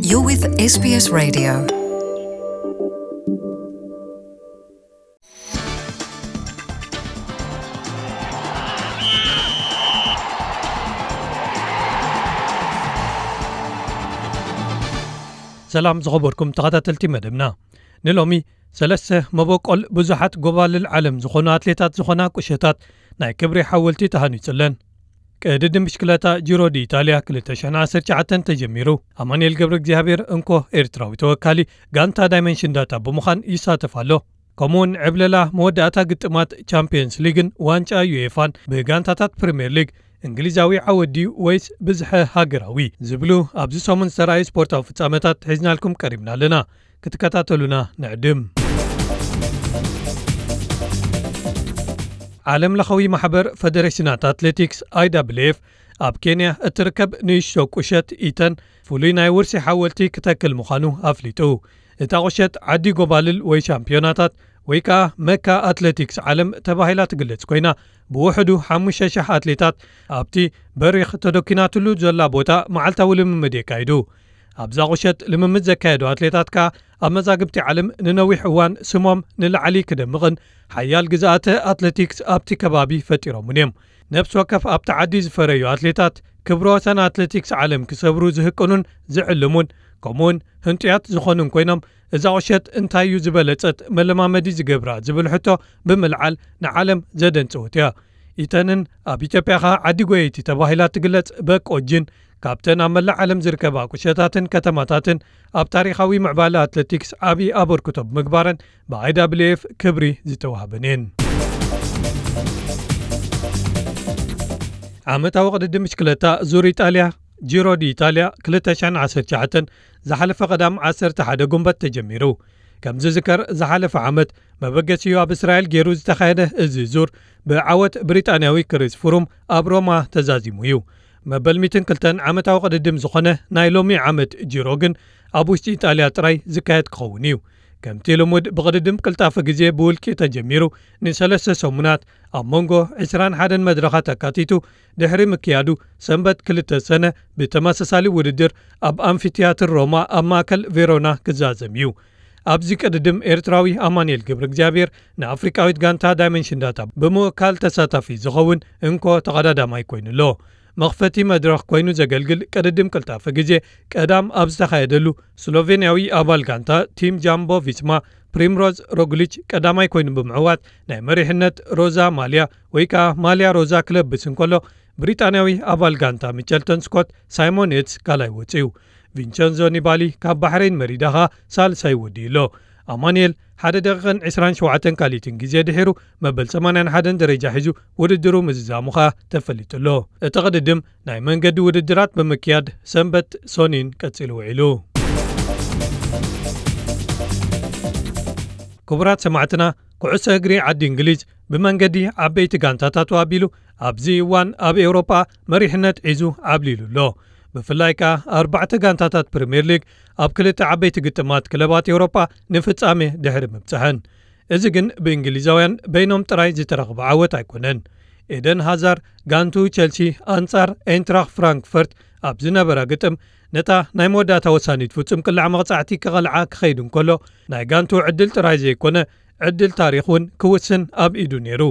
You're with S B S Radio. ሰላም ዝኸበርኩም ተኸታተልቲ መደብና። ንሎሚ ሰለስተ መበቆል ብዙሓት ጎባልል ዓለም ዝኾኑ ኣትሌታት ዝኾና ቁሸታት ናይ ክብሪ ሓወልቲ ተሃኒጹለን። ቅድድም ብሽክለታ ጂሮ ዲ ኢጣልያ ክልተ ሽሕን ዓሰርተ ትሽዓተን ተጀሚሩ። ኣማኑኤል ገብረ እግዚኣብሔር እንኮ ኤርትራዊ ተወካሊ ጋንታ ዳይመንሽን ዳታ ብምዃን ይሳተፍ ኣሎ። ከምኡውን ዕብለላ መወዳእታ ግጥማት ቻምፒየንስ ሊግን ዋንጫ ዩኤፋን ብጋንታታት ፕሪምየር ሊግ እንግሊዛዊ ዓወት ድዩ ወይስ ብዝሐ ሃገራዊ ዝብሉ ኣብዚ ሰሙን ዝተራእዩ ስፖርታዊ ፍጻመታት ሒዝናልኩም ቀሪብና ኣለና። ክትከታተሉና ንዕድም። ዓለም ለኻዊ ማሕበር ፈደሬሽናት ኣትሌቲክስ፣ ኣይ ዳብልዩ ኤፍ፣ ኣብ ኬንያ እትርከብ ንእሽቶ ቁሸት ኢተን ፍሉይ ናይ ውርሲ ሓወልቲ ክተክል ምዃኑ ኣፍሊጡ። እታ ቁሸት ዓዲ ጎባልል ወይ ሻምፒዮናታት ወይ ከኣ መካ ኣትሌቲክስ ዓለም ተባሂላ ትግለጽ ኮይና፣ ብውሕዱ ሓሙሽተ ሽሕ ኣትሌታት ኣብቲ በሪኽ ተደኪናትሉ ዘላ ቦታ መዓልታዊ ልምምድ የካይዱ። ኣብዛ ቁሸት ልምምድ ዘካየዱ ኣትሌታት ከኣ ኣብ መዛግብቲ ዓለም ንነዊሕ እዋን ስሞም ንላዕሊ ክደምቕን ሓያል ግዝኣተ ኣትሌቲክስ ኣብቲ ከባቢ ፈጢሮምን እዮም። ነፍሲ ወከፍ ኣብቲ ዓዲ ዝፈረዩ ኣትሌታት ክብረ ወሰን ኣትሌቲክስ ዓለም ክሰብሩ ዝህቅኑን ዝዕልሙን ከምኡውን ህንጡያት ዝኾኑን ኮይኖም፣ እዛ ቁሸት እንታይ እዩ ዝበለጸት መለማመዲ ዝገብራ ዝብል ሕቶ ብምልዓል ንዓለም ዘደንጸወት እያ። ኢተንን ኣብ ኢትዮጵያ ኸኣ ዓዲ ጎየይቲ ተባሂላ ትግለጽ በቆጅን ካብተን ኣብ መላእ ዓለም ዝርከባ ቁሸታትን ከተማታትን ኣብ ታሪኻዊ ምዕባለ ኣትሌቲክስ ዓቢ ኣበርክቶ ብምግባረን ብ ኣይ ዳብልዩ ኤፍ ክብሪ ዝተዋህበን እየን። ዓመታዊ ቅድድም ብሽክለታ ዙር ኢጣልያ፣ ጂሮ ዲ ኢጣልያ ክልተ ሽሕን ዓሰርተ ትሽዓተን ዝሓለፈ ቀዳም ዓሰርተ ሓደ ጉንበት ተጀሚሩ። ከም ዝዝከር ዝሓለፈ ዓመት መበገሲኡ ኣብ እስራኤል ገይሩ ዝተኻየደ እዚ ዙር ብዓወት ብሪጣንያዊ ክሪስ ፍሩም ኣብ ሮማ ተዛዚሙ እዩ። መበል ሚእትን ክልተን ዓመታዊ ቅድድም ዝኾነ ናይ ሎሚ ዓመት ጂሮ ግን ኣብ ውሽጢ ኢጣልያ ጥራይ ዝካየድ ክኸውን እዩ። ከምቲ ልሙድ ብቕድድም ቅልጣፈ ግዜ ብውልቂ ተጀሚሩ ንሰለስተ ሰሙናት ኣብ መንጎ ዕስራን ሓደን መድረኻት ኣካቲቱ ድሕሪ ምክያዱ ሰንበት ክልተ ሰነ ብተመሳሳሊ ውድድር ኣብ ኣምፊቲያትር ሮማ ኣብ ማእከል ቬሮና ክዛዘም እዩ። ኣብዚ ቅድድም ኤርትራዊ ኣማኑኤል ገብረ እግዚኣብሔር ንኣፍሪቃዊት ጋንታ ዳይመንሽን ዳታ ብምውካል ተሳታፊ ዝኸውን እንኮ ተቐዳዳማይ ኮይኑ ኣሎ። መኽፈቲ መድረኽ ኮይኑ ዘገልግል ቅድድም ቅልጣፈ ግዜ ቀዳም ኣብ ዝተኻየደሉ ስሎቬንያዊ ኣባል ጋንታ ቲም ጃምቦ ቪስማ ፕሪምሮዝ ሮግሊች ቀዳማይ ኮይኑ ብምዕዋት ናይ መሪሕነት ሮዛ ማልያ ወይ ከኣ ማልያ ሮዛ ክለብስ እንከሎ ብሪጣንያዊ ኣባል ጋንታ ሚቸልተን ስኮት ሳይሞን የትስ ካልኣይ ወጺኡ። ቪንቸንዞ ኒባሊ ካብ ባሕረይን መሪዳ ኸኣ ሳልሳይ ወዲኡ ኣሎ። ኣማኑኤል ሓደ ደቂቕን ዕስራን ሸውዓተን ካልኢትን ግዜ ድሒሩ መበል ሰማንያን ሓደን ደረጃ ሒዙ ውድድሩ ምዝዛሙ ኸኣ ተፈሊጡ ኣሎ። እቲ ቅድድም ናይ መንገዲ ውድድራት ብምክያድ ሰንበት ሶኒን ቀጺሉ ውዒሉ። ክቡራት ሰማዕትና፣ ኩዕሶ እግሪ ዓዲ እንግሊዝ ብመንገዲ ዓበይቲ ጋንታታቱ ኣቢሉ ኣብዚ እዋን ኣብ ኤውሮጳ መሪሕነት ሒዙ ዓብሊሉ ኣሎ። ብፍላይ ከኣ ኣርባዕተ ጋንታታት ፕሪምየር ሊግ ኣብ ክልተ ዓበይቲ ግጥማት ክለባት ኤውሮጳ ንፍጻሜ ድሕሪ ምብጽሐን። እዚ ግን ብእንግሊዛውያን በይኖም ጥራይ ዝተረኽበ ዓወት ኣይኮነን። ኤደን ሃዛር ጋንቱ ቸልሲ ኣንጻር ኤንትራኽ ፍራንክፈርት ኣብ ዝነበራ ግጥም ነታ ናይ መወዳእታ ወሳኒት ፍጹም ቅላዕ መቕጻዕቲ ክቐልዓ ክኸይድ እንከሎ ናይ ጋንቱ ዕድል ጥራይ ዘይኮነ ዕድል ታሪኽ እውን ክውስን ኣብ ኢዱ ነይሩ።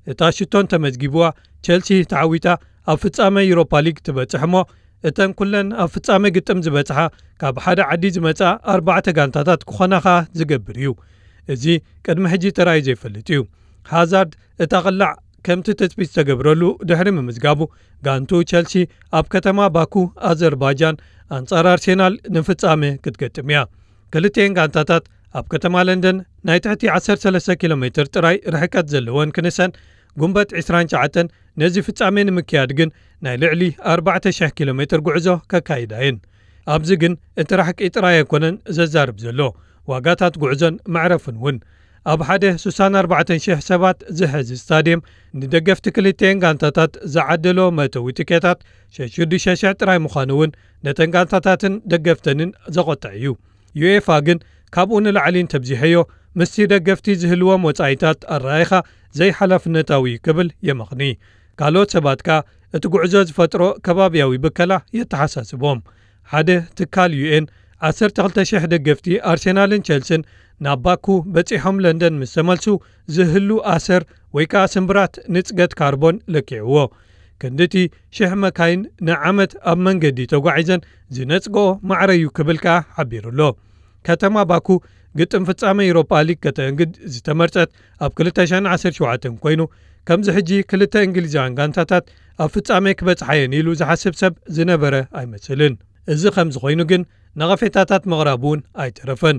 እታ ሽቶን ተመዝጊብዋ ቸልሲ ተዓዊታ ኣብ ፍጻመ ዩሮፓ ሊግ ትበጽሕ እሞ እተን ኩለን ኣብ ፍጻመ ግጥም ዝበጽሓ ካብ ሓደ ዓዲ ዝመጻ ኣርባዕተ ጋንታታት ክኾና ኸኣ ዝገብር እዩ። እዚ ቅድሚ ሕጂ ተራእዩ ዘይፈልጥ እዩ። ሃዛርድ እታ ቅላዕ ከምቲ ትጽቢት ዝተገብረሉ ድሕሪ ምምዝጋቡ ጋንቱ ቸልሲ ኣብ ከተማ ባኩ ኣዘርባይጃን ኣንጻር ኣርሴናል ንፍጻመ ክትገጥም እያ። ክልቲኤን ጋንታታት ኣብ ከተማ ለንደን ናይ ትሕቲ ዓሰርተ ሰለስተ ኪሎ ሜትር ጥራይ ርሕቀት ዘለወን ክንሰን ጉንበት ዕስራን ትሽዓተን ነዚ ፍጻሜ ንምክያድ ግን ናይ ልዕሊ ኣርባዕተ ሽሕ ኪሎ ሜትር ጉዕዞ ከካይዳ እየን። ኣብዚ ግን እቲ ራሕቂ ጥራይ ኣይኮነን ዘዛርብ ዘሎ፣ ዋጋታት ጉዕዞን መዕረፍን እውን። ኣብ ሓደ ስሳን ኣርባዕተን ሽሕ ሰባት ዝሕዝ ስታድየም ንደገፍቲ ክልቲኤን ጋንታታት ዝዓደሎ መእተዊ ቲኬታት ሸዱሽተ ሽሕ ጥራይ ምዃኑ እውን ነተን ጋንታታትን ደገፍተንን ዘቖጥዕ እዩ። ዩኤፋ ግን ካብኡ ንላዕሊ እንተብዚሐዮ ምስቲ ደገፍቲ ዝህልዎም ወጻኢታት ኣረኣይኻ ዘይሓላፍነታዊ እዩ ክብል የመኽኒ። ካልኦት ሰባት ከኣ እቲ ጉዕዞ ዝፈጥሮ ከባብያዊ ብከላ የተሓሳስቦም። ሓደ ትካል ዩኤን ዓሰርተ ክልተ ሽሕ ደገፍቲ ኣርሴናልን ቸልስን ናብ ባኩ በጺሖም ለንደን ምስ ተመልሱ ዝህሉ ኣሰር ወይ ከኣ ስምብራት ንጽገት ካርቦን ለኪዕዎ። ክንድቲ ሽሕ መካይን ንዓመት ኣብ መንገዲ ተጓዒዘን ዝነጽግኦ ማዕረ'ዩ ክብል ከኣ ሓቢሩ ኣሎ። ከተማ ባኩ ግጥም ፍጻመ ዩሮፓ ሊግ ከተእንግድ ዝተመርጸት ኣብ ክልተ ሽሕን ዓሰርተ ሸውዓተን ኮይኑ፣ ከምዚ ሕጂ ክልተ እንግሊዛውያን ጋንታታት ኣብ ፍጻሜ ክበጽሓየን ኢሉ ዝሓስብ ሰብ ዝነበረ ኣይመስልን። እዚ ከምዚ ኮይኑ ግን ነቐፌታታት ምቕራብ እውን ኣይተረፈን።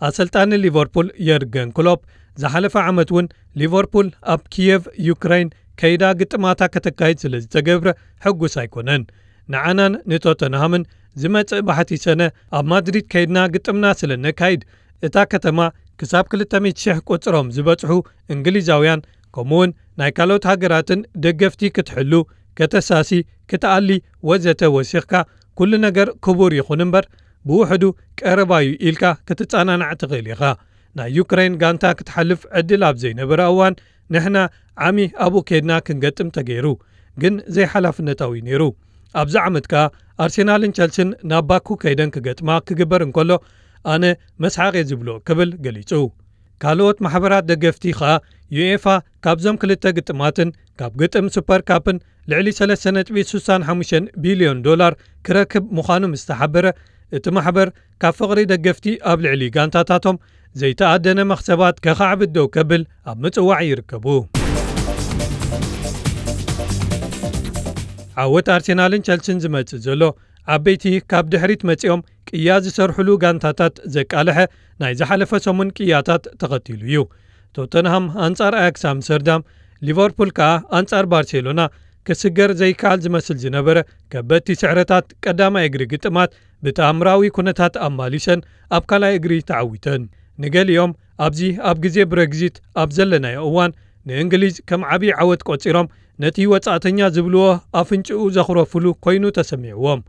ኣሰልጣኒ ሊቨርፑል የርገን ክሎፕ ዝሓለፈ ዓመት እውን ሊቨርፑል ኣብ ኪየቭ ዩክሬን ከይዳ ግጥማታ ከተካይድ ስለ ዝተገብረ ሕጉስ ኣይኮነን። ንዓናን ንቶተንሃምን ዝመጽእ ባሕቲ ሰነ ኣብ ማድሪድ ከይድና ግጥምና ስለ ነካይድ፣ እታ ከተማ ክሳብ ክልተ ሚእቲ ሽሕ ቁጽሮም ዝበጽሑ እንግሊዛውያን፣ ከምኡውን ናይ ካልኦት ሃገራትን ደገፍቲ ክትሕሉ፣ ከተሳሲ፣ ክትኣሊ ወዘተ ወሲኽካ፣ ኩሉ ነገር ክቡር ይኹን እምበር፣ ብውሕዱ ቀረባ'ዩ ኢልካ ክትጸናናዕ ትኽእል ኢኻ። ናይ ዩክሬን ጋንታ ክትሓልፍ ዕድል ኣብ ዘይነበራ እዋን፣ ንሕና ዓሚ ኣብኡ ከይድና ክንገጥም ተገይሩ፣ ግን ዘይሓላፍነታዊ ነይሩ። ኣብዚ ዓመት ከኣ ኣርሴናልን ቸልስን ናብ ባኩ ከይደን ክገጥማ ክግበር እንከሎ፣ ኣነ መስሓቕ እየ ዝብሎ ክብል ገሊጹ። ካልኦት ማሕበራት ደገፍቲ ከኣ ዩኤፋ ካብዞም ክልተ ግጥማትን ካብ ግጥም ሱፐር ካፕን ልዕሊ ሰለስተ ነጥቢ ስሳን ሓሙሽተን ቢልዮን ዶላር ክረክብ ምዃኑ ምስ ተሓበረ፣ እቲ ማሕበር ካብ ፍቕሪ ደገፍቲ ኣብ ልዕሊ ጋንታታቶም ዘይተኣደነ መኽሰባት ከኻዕብት ደው ከብል ኣብ ምጽዋዕ ይርከቡ። ዓወት ኣርሴናልን ቸልሲን ዝመጽእ ዘሎ፣ ዓበይቲ ካብ ድሕሪት መጺኦም ቅያ ዝሰርሕሉ ጋንታታት ዘቃልሐ ናይ ዝሓለፈ ሰሙን ቅያታት ተኸቲሉ እዩ። ቶተንሃም ኣንጻር ኣያክስ ኣምስተርዳም፣ ሊቨርፑል ከኣ ኣንጻር ባርሴሎና ክስገር ዘይከኣል ዝመስል ዝነበረ ከበድቲ ስዕረታት ቀዳማይ እግሪ ግጥማት ብተኣምራዊ ኩነታት ኣማሊሰን ኣብ ካልኣይ እግሪ ተዓዊተን። ንገሊኦም ኣብዚ ኣብ ግዜ ብረግዚት ኣብ ዘለናዮ እዋን ንእንግሊዝ ከም ዓቢ ዓወት ቆጺሮም ነቲ ወጻእተኛ ዝብልዎ ኣፍንጭኡ ዘኹረፍሉ ኮይኑ ተሰሚዕዎም።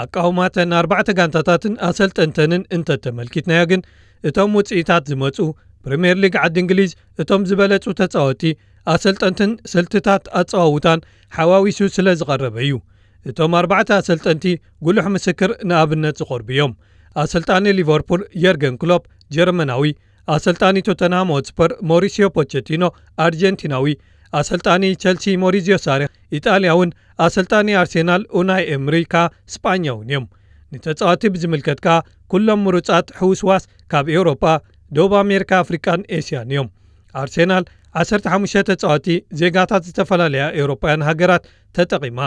ኣቃውማተን ኣርባዕተ ጋንታታትን ኣሰልጠንተንን እንተተመልኪትናዮ ግን፣ እቶም ውጽኢታት ዝመጹ ፕሪምየር ሊግ ዓዲ እንግሊዝ እቶም ዝበለጹ ተጻወቲ፣ ኣሰልጠንትን ስልትታት ኣጸዋውታን ሓዋዊሱ ስለ ዝቐረበ እዩ። እቶም ኣርባዕተ ኣሰልጠንቲ ጉሉሕ ምስክር ንኣብነት ዝቐርቡ እዮም። ኣሰልጣኒ ሊቨርፑል የርገን ክሎፕ ጀርመናዊ፣ ኣሰልጣኒ ቶተንሃም ሆትስፐር ሞሪሲዮ ፖቸቲኖ ኣርጀንቲናዊ፣ ኣሰልጣኒ ቸልሲ ሞሪዚዮ ሳሪ ኢጣልያውን ኣሰልጣኒ ኣርሴናል ኡናይ ኤምሪ ከኣ ስጳኛውን እዮም። ንተጻወቲ ብዝምልከት ከኣ ኩሎም ምሩጻት ሕውስዋስ ካብ ኤውሮጳ፣ ደቡብ ኣሜሪካ፣ ኣፍሪቃን ኤስያን እዮም። ኣርሴናል ዓሰርተ ሓሙሽተ ተጻወቲ ዜጋታት ዝተፈላለያ ኤውሮጳውያን ሃገራት ተጠቒማ።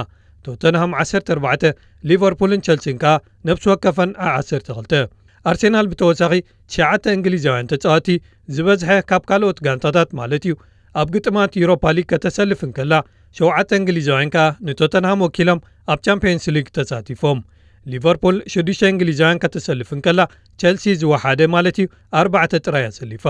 ቶተንሃም ዓሰርተ ኣርባዕተ፣ ሊቨርፑልን ቸልሲን ከኣ ነፍሲ ወከፈን ዓ ዓሰርተ ክልተ። ኣርሴናል ብተወሳኺ ትሽዓተ እንግሊዛውያን ተጻወቲ፣ ዝበዝሐ ካብ ካልኦት ጋንታታት ማለት እዩ፣ ኣብ ግጥማት ዩሮፓ ሊግ ከተሰልፍ እንከላ፣ ሸውዓተ እንግሊዛውያን ከኣ ንቶተንሃም ወኪሎም ኣብ ቻምፕዮንስ ሊግ ተሳቲፎም። ሊቨርፑል ሽዱሽተ እንግሊዛውያን ከተሰልፍ እንከላ፣ ቸልሲ ዝወሓደ ማለት እዩ ኣርባዕተ ጥራይ ኣሰሊፋ።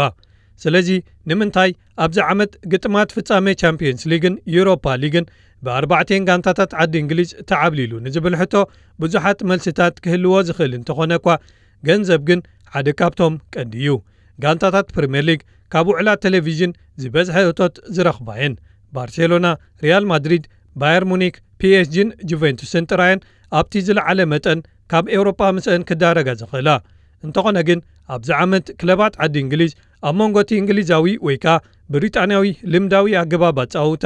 ስለዚ ንምንታይ ኣብዚ ዓመት ግጥማት ፍጻሜ ቻምፕዮንስ ሊግን ዩሮፓ ሊግን ብኣርባዕቴን ጋንታታት ዓዲ እንግሊዝ ተዓብሊሉ ንዝብል ሕቶ ብዙሓት መልስታት ክህልዎ ዝኽእል እንተኾነ እኳ፣ ገንዘብ ግን ሓደ ካብቶም ቀንዲ እዩ። ጋንታታት ፕሪምየር ሊግ ካብ ውዕላት ቴሌቪዥን ዝበዝሐ እቶት ዝረኽባ እየን። ባርሴሎና፣ ሪያል ማድሪድ፣ ባየር ሙኒክ፣ ፒኤስጂን ጁቬንቱስን ጥራየን ኣብቲ ዝለዓለ መጠን ካብ ኤውሮጳ ምስአን ክዳረጋ ዝኽእላ። እንተኾነ ግን ኣብዚ ዓመት ክለባት ዓዲ እንግሊዝ ኣብ መንጎ እቲ እንግሊዛዊ ወይ ከኣ ብሪጣንያዊ ልምዳዊ ኣገባብ ኣጻውታ፣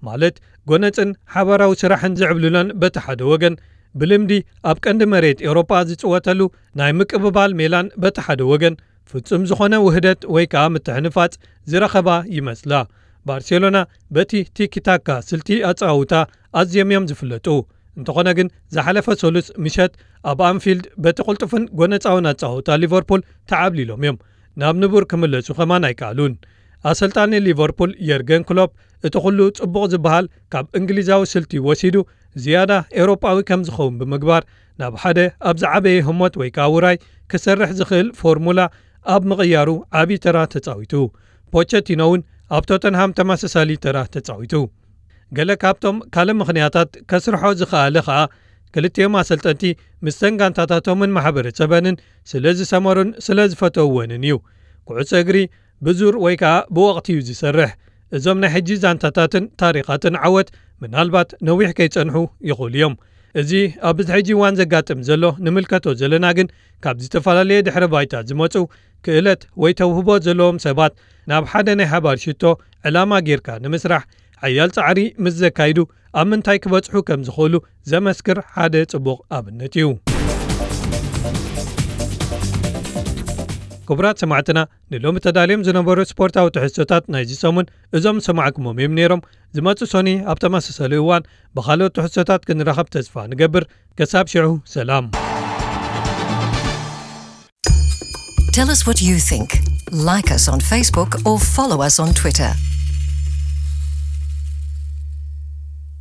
ማለት ጎነጽን ሓባራዊ ስራሕን ዝዕብልለን በቲ ሓደ ወገን፣ ብልምዲ ኣብ ቀንዲ መሬት ኤውሮጳ ዝጽወተሉ ናይ ምቅብባል ሜላን በቲ ሓደ ወገን፣ ፍጹም ዝኾነ ውህደት ወይ ከኣ ምትሕንፋጽ ዝረኸባ ይመስላ። ባርሴሎና በቲ ቲኪታካ ስልቲ ኣጻውታ ኣዝዮም እዮም ዝፍለጡ። እንተኾነ ግን ዝሓለፈ ሰሉስ ምሸት ኣብ ኣንፊልድ በቲ ቅልጡፍን ጎነጻውን ኣጻውታ ሊቨርፑል ተዓብሊሎም እዮም። ናብ ንቡር ክምለሱ ከማን ኣይከኣሉን። ኣሰልጣኒ ሊቨርፑል የርገን ክሎፕ እቲ ኩሉ ጽቡቕ ዝበሃል ካብ እንግሊዛዊ ስልቲ ወሲዱ ዝያዳ ኤውሮጳዊ ከም ዝኸውን ብምግባር ናብ ሓደ ኣብ ዝዓበየ ህሞት ወይ ከኣ ውራይ ክሰርሕ ዝኽእል ፎርሙላ ኣብ ምቕያሩ ዓቢ ተራ ተጻዊቱ። ፖቸቲኖ እውን ኣብ ቶተንሃም ተመሳሳሊ ተራ ተጻዊቱ። ገለ ካብቶም ካልእ ምኽንያታት ከስርሖ ዝኸኣለ ኸኣ ክልቲኦም ኣሰልጠንቲ ምስተን ጋንታታቶምን ማሕበረሰበንን ስለ ዝሰመሩን ስለ ዝፈተውወንን እዩ። ኩዕሶ እግሪ ብዙር ወይ ከኣ ብወቕቲ እዩ ዝሰርሕ። እዞም ናይ ሕጂ ዛንታታትን ታሪኻትን ዓወት ምናልባት ነዊሕ ከይጸንሑ ይኽእሉ እዮም። እዚ ኣብዚ ሕጂ እዋን ዘጋጥም ዘሎ ንምልከቶ ዘለና ግን ካብ ዝተፈላለየ ድሕረ ባይታ ዝመጹ ክእለት ወይ ተውህቦ ዘለዎም ሰባት ናብ ሓደ ናይ ሓባር ሽቶ ዕላማ ጌርካ ንምስራሕ ሓያል ጻዕሪ ምስ ዘካይዱ ኣብ ምንታይ ክበጽሑ ከም ዝኽእሉ ዘመስክር ሓደ ጽቡቕ ኣብነት እዩ። ክቡራት ሰማዕትና፣ ንሎሚ ተዳልዮም ዝነበሩ ስፖርታዊ ትሕዝቶታት ናይዚ ሰሙን እዞም ዝሰማዕኩሞም እዮም ነይሮም። ዝመጽእ ሶኒ ኣብ ተመሳሳሊ እዋን ብኻልኦት ትሕዝቶታት ክንራኸብ ተስፋ ንገብር። ከሳብ ሽዑ ሰላም። Tell us what you think. Like us on Facebook or follow us on Twitter.